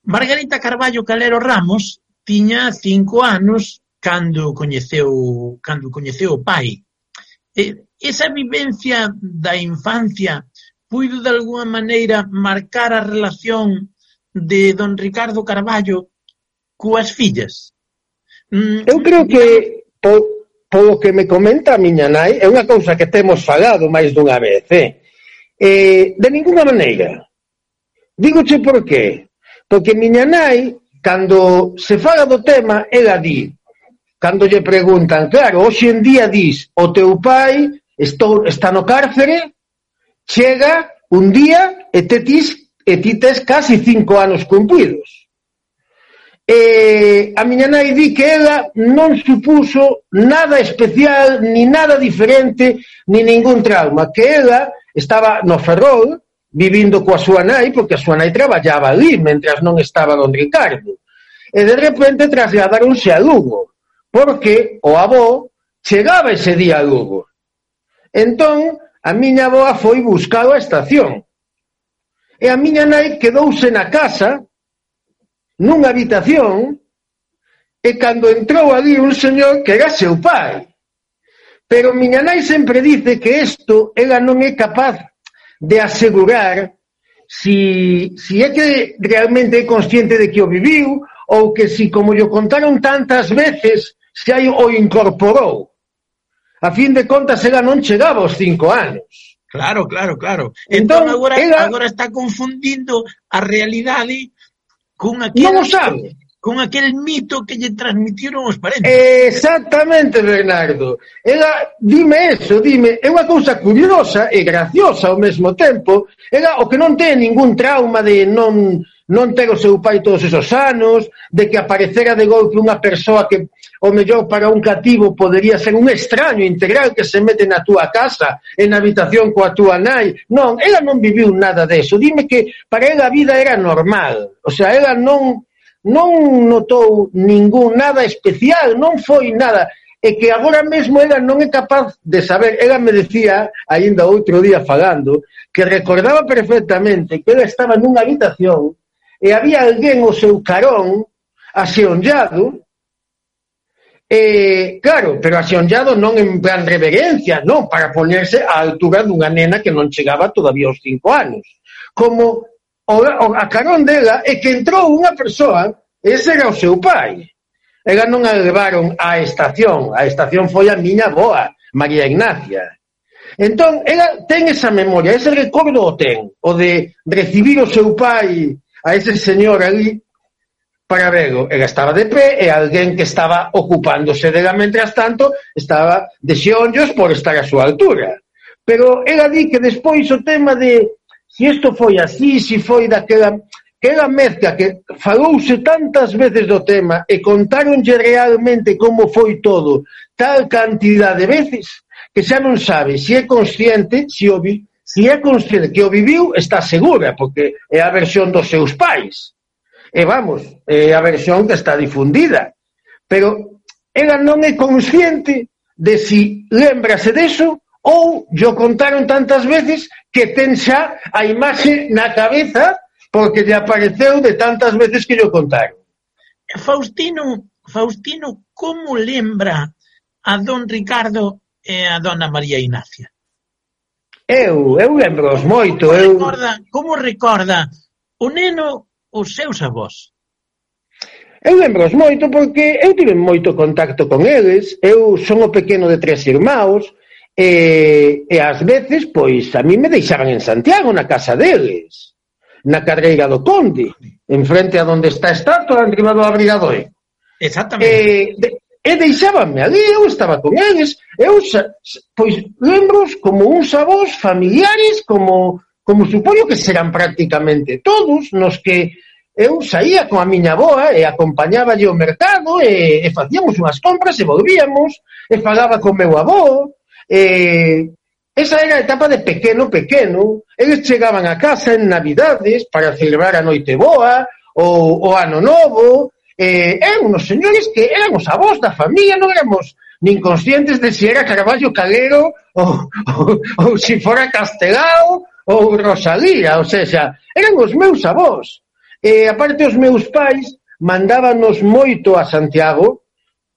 Speaker 8: Margarita Carballo Calero Ramos tiña 5 anos cando coñeceu o pai. Esa vivencia da infancia puido de alguna maneira marcar a relación de don Ricardo Carballo coas fillas?
Speaker 11: Eu creo que polo que me comenta a miña nai, é unha cousa que temos falado máis dunha vez, de ninguna maneira. Dígoche por qué. Porque miña nai cando se fala do tema, ela di, cando lle preguntan, claro, hoxe en día dis, o teu pai está no cárcere, chega un día e ti tes casi 5 anos cumpridos. A miña nai di que ela non supuso nada especial, ni nada diferente, ni ningún trauma, que ela estaba no Ferrol, vivindo coa súa nai, porque a súa nai traballaba ali, mentras non estaba don Ricardo. E de repente trasladaronse a Lugo, porque o avó chegaba ese día a Lugo. Entón, a miña avoa foi buscar a estación. E a miña nai quedouse na casa, nunha habitación, e cando entrou ali un señor que era seu pai. Pero miña nai sempre dice que isto ela non é capaz de asegurar si é que realmente é consciente de que o viviu ou que si, como lle contaron tantas veces, se aí o incorporou. A fin de contas, ela non chegaba aos 5 anos.
Speaker 8: Claro. Entón agora está confundindo a realidade con aquel mito que lle transmitiron os parentes.
Speaker 11: Exactamente, Bernardo. Ela, dime, é unha cousa curiosa e graciosa ao mesmo tempo. Ela, o que non ten ningún trauma de non ter o seu pai todos esos anos, de que aparecera de golpe unha persoa que, o mellor para un cativo, podería ser un extraño integral que se mete na túa casa, en habitación coa túa nai. Non, ela non viviu nada deso. Dime que para ela a vida era normal. O sea, ela non notou nada especial, non foi nada, e que agora mesmo ela non é capaz de saber. Ela me decía, aínda outro día falando, que recordaba perfectamente que ela estaba nunha habitación e había alguén ao seu carón axeonllado, claro, pero axeonllado non en plan reverencia, non, para ponerse á altura dunha nena que non chegaba todavía aos 5 anos. Como a carón dela é que entrou unha persoa, ese era o seu pai. Ela non a levaron á estación foi a miña avoa, María Ignacia. Entón, ela ten esa memoria, ese recordo o ten, o de recibir o seu pai a ese señor ali para verlo. Ela estaba de pé e alguén que estaba ocupándose dela mentras tanto estaba de xeonllos por estar a súa altura. Pero ela di que despois o tema de si isto foi así, si foi daquela, que era mezcla, que falouse tantas veces do tema e contáronlle realmente como foi todo tal cantidad de veces que xa non sabe se é consciente, se é consciente que o viviu, está segura, porque é a versión dos seus pais. E vamos, é a versión que está difundida. Pero ela non é consciente de si lembrase deso ou lle contaron tantas veces que ten xa a imaxe na cabeza porque lle apareceu de tantas veces que lle contaron.
Speaker 8: Faustino, como lembra a don Ricardo e a dona María Ignacia?
Speaker 11: Eu lembro-os moito.
Speaker 8: Como recorda o neno os seus avós?
Speaker 11: Eu lembro-os moito porque eu tive moito contacto con eles. Eu son o pequeno de 3 irmãos e ás veces, pois, a mí me deixaban en Santiago, na casa deles, na Carreira do Conde, en frente a donde está a estatua, en riba do Abrigadoiro.
Speaker 8: Exactamente.
Speaker 11: E deixábanme ali, eu estaba con eles, pois, lembros como uns avós familiares, como supoño que serán prácticamente todos, nos que eu saía con a miña avoa e acompañáballe ao mercado e facíamos unhas compras e volvíamos, e falaba con meu avó. Esa era a etapa de pequeno, eles chegaban a casa en Navidades para celebrar a Noite Boa o Ano Novo, eran unos señores que eran os avós da familia, non éramos nin conscientes de si era Carballo Calero ou si fora Castelao ou Rosalía, o sea, eran os meus avós. Aparte, os meus pais mandábanos moito a Santiago,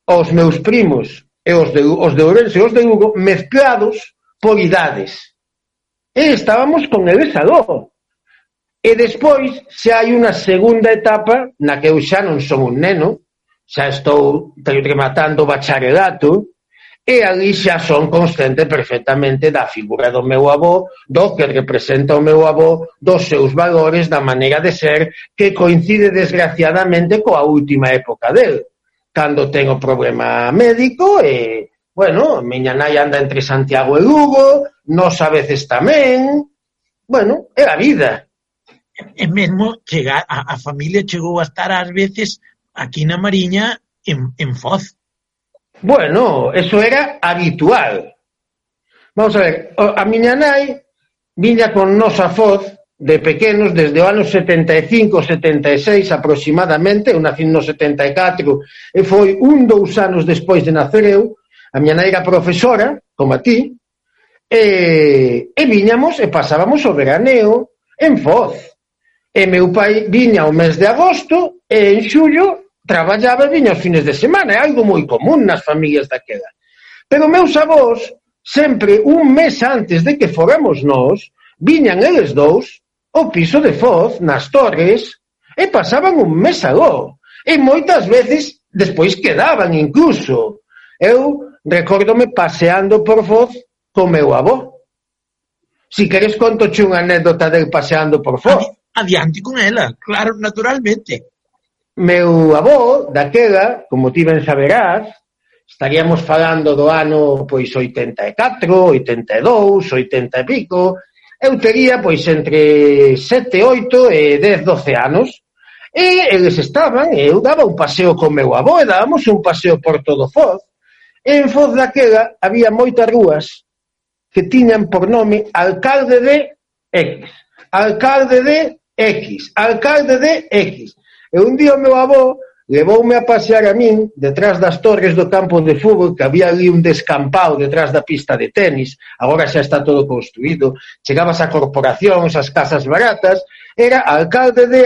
Speaker 11: os meus primos e os de Ourense e os de Lugo, mezclados por idades. E estábamos con eles aló. E despois xa hai unha segunda etapa na que eu xa non son un neno, xa estou rematando o bacharelato, e ali xa son consciente perfectamente da figura do meu avó, do que representa o meu avó, dos seus valores, da maneira de ser, que coincide desgraciadamente coa última época del, cando ten o problema médico e, bueno, miña nai anda entre Santiago e Lugo, nós a veces tamén, bueno, é a vida.
Speaker 8: E mesmo a familia chegou a estar ás veces aquí na Mariña en Foz.
Speaker 11: Bueno, eso era habitual. Vamos a ver, a miña nai viña con nos a Foz de pequenos desde o ano 75, 76 aproximadamente, eu nací no 74 e foi 2 anos despois de nacer eu. A miña nai era profesora, como a ti, e viñamos e pasábamos o veraneo en Foz. E meu pai viña o mes de agosto e en xullo traballaba e viña os fines de semana, é algo moi común nas familias daquela. Pero meus avós, sempre un mes antes de que fóramos nós, viñan eles dous ao piso de Foz, nas Torres, e pasaban un mes aló. E moitas veces despois quedaban incluso. Eu recórdome paseando por Foz co meu avó. Si queres contoche unha anécdota del paseando por Foz.
Speaker 8: Adiante con ela, claro, naturalmente.
Speaker 11: Meu avó, daquela, como ti ben saberás, estaríamos falando do ano, pois, 84, 82, 80 e pico, eu tería, pois, entre 7, 8 e 10, 12 anos, e eles estaban, e eu daba un paseo con meu avó, e dábamos un paseo por todo Foz, e en Foz daquela había moitas rúas que tiñan por nome Alcalde de X, Alcalde de X, Alcalde de X. E un día o meu avó levoume a pasear a min detrás das torres do campo de fútbol, que había ali un descampado detrás da pista de tenis, agora xa está todo construído, chegabas a corporacións, as casas baratas, era alcalde de,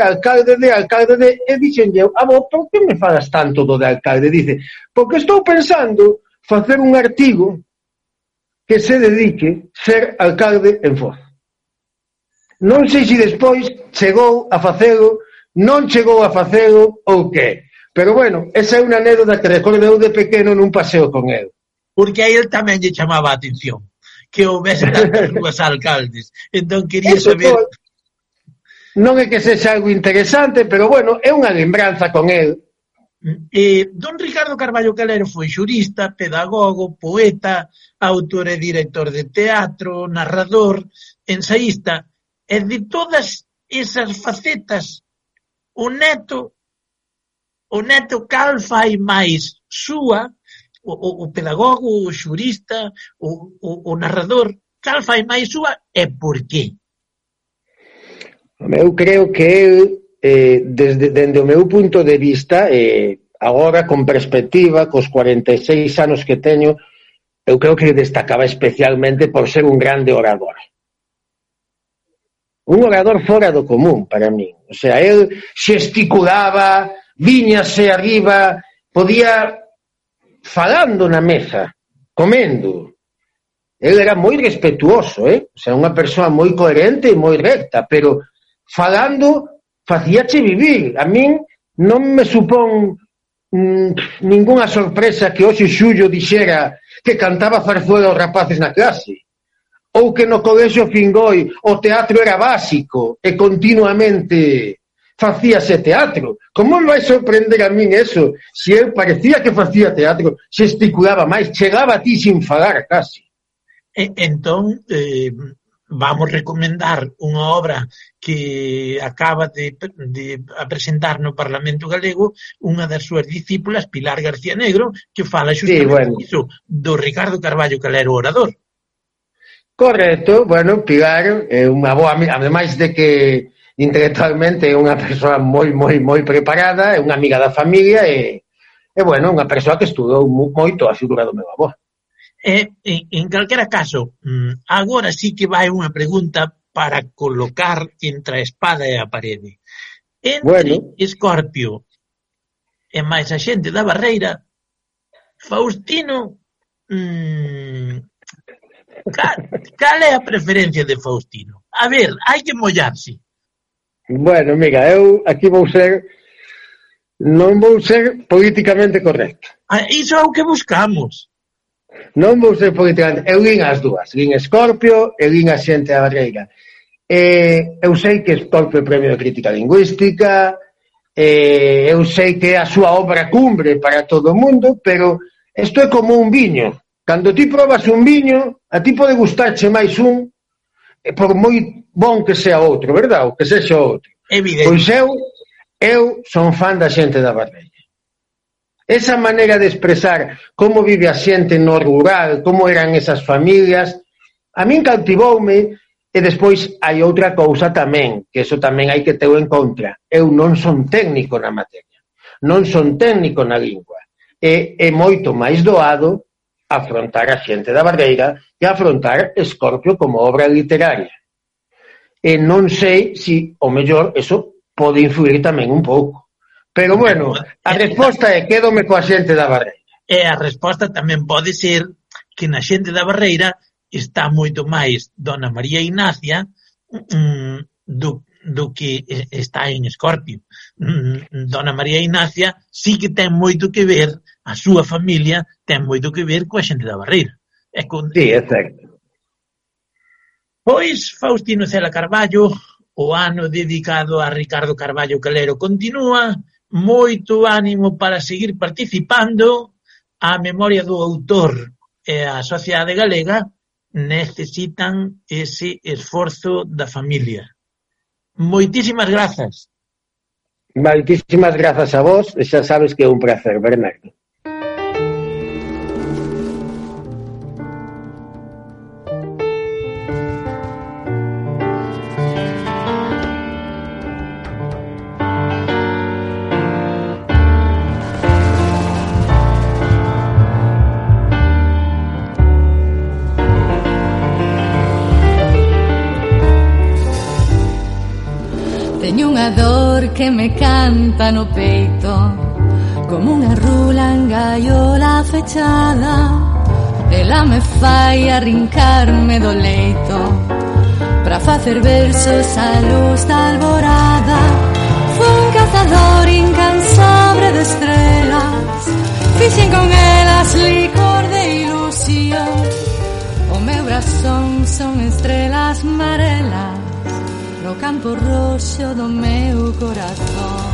Speaker 11: e dixenlle, avó, por que me falas tanto do de alcalde? Dice, porque estou pensando facer un artigo que se dedique ser alcalde en Foz. Non sei se despois chegou a facelo, non chegou a facelo ou que. Pero bueno, esa é unha anécdota que recordo eu de pequeno nun paseo con el.
Speaker 8: Porque a él tamén lle chamaba a atención que houvese tantas rúas alcaldes. Entón quería saber...
Speaker 11: Non é que sexa algo interesante, pero bueno, é unha lembranza con el.
Speaker 8: Don Ricardo Carballo Calero foi xurista, pedagogo, poeta, autor e director de teatro, narrador, ensaísta, e de todas esas facetas o neto cal fai máis súa, o pedagogo, o xurista, o narrador, cal fai máis súa e por qué?
Speaker 11: Eu creo que el, dende o meu punto de vista, agora con perspectiva, cos 46 anos que teño, eu creo que destacaba especialmente por ser un grande orador. Un orador fora do común, para min. O sea, el xesticulaba, viñase arriba, podía falando na mesa, comendo. El era moi respetuoso, O sea, unha persoa moi coherente e moi recta, pero falando facíache vivir. A min non me supón ningunha sorpresa que hoxe Xullo dixera que cantaba zarzuela aos rapaces na clase. Ou que no colexio Fingoi o teatro era básico e continuamente facíase teatro. Como me vai sorprender a min eso? Se eu parecía que facía teatro, xesticulaba máis, chegaba a ti sin falar casi.
Speaker 8: Entón, vamos recomendar unha obra que acaba de presentar no Parlamento Galego unha das súas discípulas, Pilar García Negro, que fala justamente iso, do Ricardo Carballo Calero orador.
Speaker 11: Correcto, bueno, Pilar é unha boa amiga, ademais de que intelectualmente é unha persoa moi preparada, é unha amiga da familia e bueno, unha persoa que estudou moito a figura do meu avó.
Speaker 8: En calquera caso, agora sí que vai unha pregunta para colocar entre a espada e a parede. Entre Escorpio e máis a xente da Barreira, Faustino... Cal é a preferencia de Faustino? A ver, hai que mollarse.
Speaker 11: Bueno, mira, eu aquí non vou ser políticamente correcto.
Speaker 8: Iso é o que buscamos.
Speaker 11: Non vou ser politicamente. Eu lín as dúas. Lín Escorpio e lín A xente da barreira. Eu sei que Escorpio é premio de crítica lingüística, eu sei que é a súa obra cumbre para todo o mundo, pero isto é como un viño. Cando ti probas un viño, a ti pode gustarche máis un, por moi bon que sea outro, verdad? O que sexa outro.
Speaker 8: Evidente.
Speaker 11: Pois eu son fan da xente da barreira. Esa maneira de expresar como vive a xente no rural, como eran esas familias, a min cautivoume. E despois hai outra cousa tamén, que eso tamén hai que ter en contra. Eu non son técnico na materia, non son técnico na lingua. É moito máis doado afrontar a xente da barreira e afrontar Escorpio como obra literaria. E non sei se, o mellor, eso pode influir tamén un pouco. Pero, bueno, a resposta é quédome coa xente da barreira.
Speaker 8: E a resposta tamén pode ser que na xente da barreira está moito máis Dona María Ignacia do que está en Escorpio. Dona María Ignacia sí que ten moito que ver, a súa familia ten moito que ver coa xente da barreira.
Speaker 11: Sí, é certo.
Speaker 8: Pois Faustino Cela Carballo, o ano dedicado a Ricardo Carballo Calero continúa, moito ánimo para seguir participando, a memoria do autor e a sociedade galega necesitan ese esforzo da familia. Moitísimas grazas.
Speaker 11: Moitísimas grazas a vos, e xa sabes que é un placer, Bernardo.
Speaker 10: Teño unha dor que me canta no peito, como unha rula en gaiola fechada. Ela me fai arrincarme do leito pra facer versos á luz da alborada. Fui un cazador incansable de estrelas, fixen con elas licor de ilusión. O meu brazón son estrelas marelas no campo roxo do meu corazón.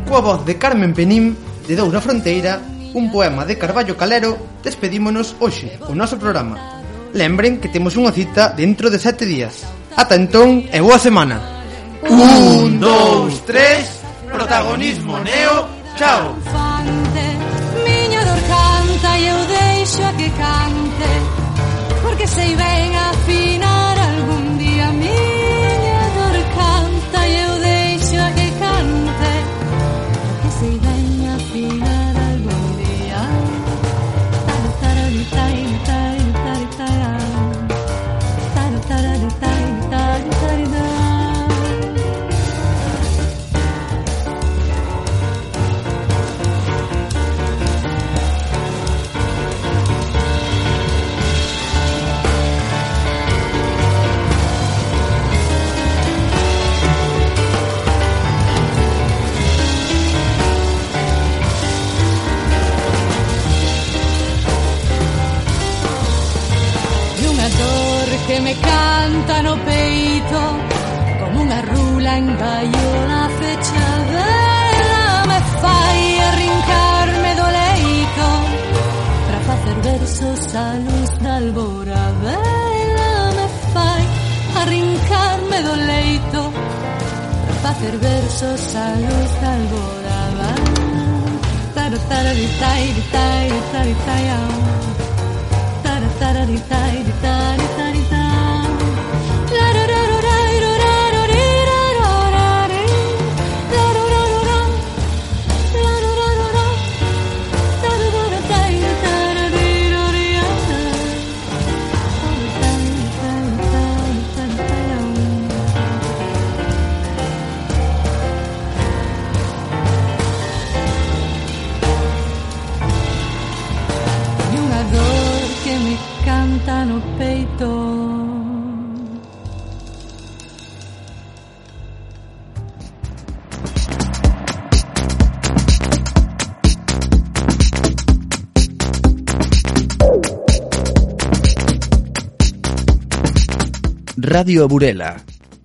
Speaker 12: Coa voz de Carmen Penín, de Doura Fronteira, un poema de Carballo Calero, despedímonos hoxe o noso programa. Lembren que temos unha cita dentro de 7 días. Ata entón e boa semana. 1, 2, 3, protagonismo neo, chao.
Speaker 10: E eu deixo a que cante, porque sei ben afinar algún día. Miña dor canta e eu deixo a que cante, porque sei ben afinar algún día. Que me canta no peito, como unha rula en gaiola fechada. Ela me fai arrincarme do leito pra facer versos á luz da alborada. Ela me fai arrincarme do leito pra facer versos á luz da alborada. Tara tara di tai di tai di tai di tai tara tara di tai di tai di tai di tai. Canta no peito.
Speaker 1: Radio Burela,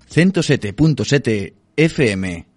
Speaker 1: 107.7 FM.